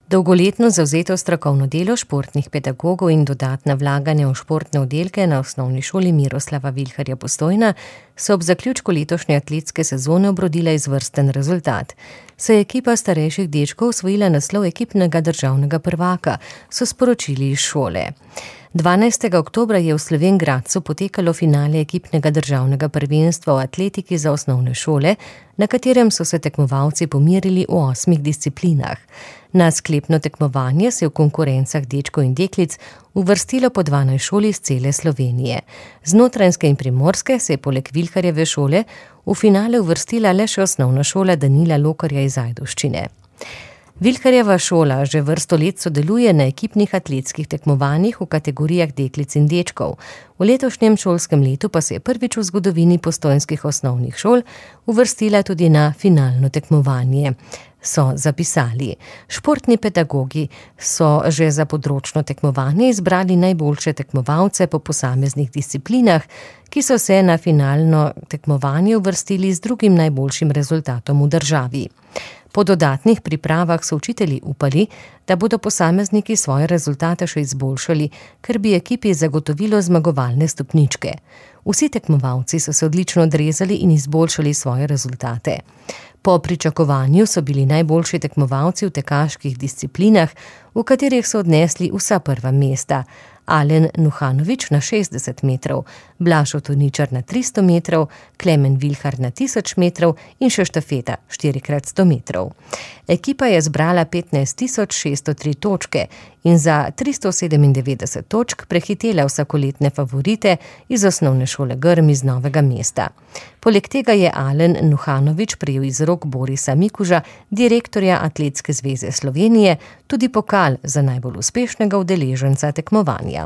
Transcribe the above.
Dolgoletno zavzeto strokovno delo športnih pedagogov in dodatna vlaganja v športne oddelke na Osnovni šoli Miroslava Vilharja Postojna so ob zaključku letošnje atletske sezone obrodila izvrsten rezultat. Se je ekipa starejših dečkov osvojila naslov ekipnega državnega prvaka, so sporočili iz šole. 12. oktobra je v Slovenj Gradcu potekalo finale ekipnega državnega prvenstva v atletiki za osnovne šole, na katerem so se tekmovalci pomerili v 8 disciplinah. Na sklepno tekmovanje se je v konkurencah dečkov in deklic uvrstilo po 12 šol iz cele Slovenije. Z Notranjske in Primorske se je poleg Vilharjeve šole v finale uvrstila le še osnovna šola Danila Lokarja iz Ajdovščine. Vilharjeva šola že vrsto let sodeluje na ekipnih atletskih tekmovanjih v kategorijah deklic in dečkov. V letošnjem šolskem letu pa se je prvič v zgodovini postojnskih osnovnih šol uvrstila tudi na finalno tekmovanje, so zapisali. Športni pedagogi so že za področno tekmovanje izbrali najboljše tekmovalce po posameznih disciplinah, ki so se na finalno tekmovanje uvrstili z drugim najboljšim rezultatom v državi. Po dodatnih pripravah so učitelji upali, da bodo posamezniki svoje rezultate še izboljšali, ker bi ekipi zagotovilo zmagovalne stopničke. Vsi tekmovalci so se odlično odrezali in izboljšali svoje rezultate. Po pričakovanju so bili najboljši tekmovalci v tekaških disciplinah, v katerih so odnesli vsa prva mesta. Alen Nuhanovič na 60 metrov, Blaž Otoničar na 300 metrov, Klemen Vilhar na 1000 metrov in še štafeta 4x100 metrov. Ekipa je zbrala 15.603 točke in za 397 točk prehitela vsakoletne favorite iz osnovne šole Grm iz Novega mesta. Poleg tega je Alen Nuhanovič prejel iz rok Borisa Mikuža, direktorja Atletske zveze Slovenije, tudi pokal za najbolj uspešnega udeleženca tekmovanja.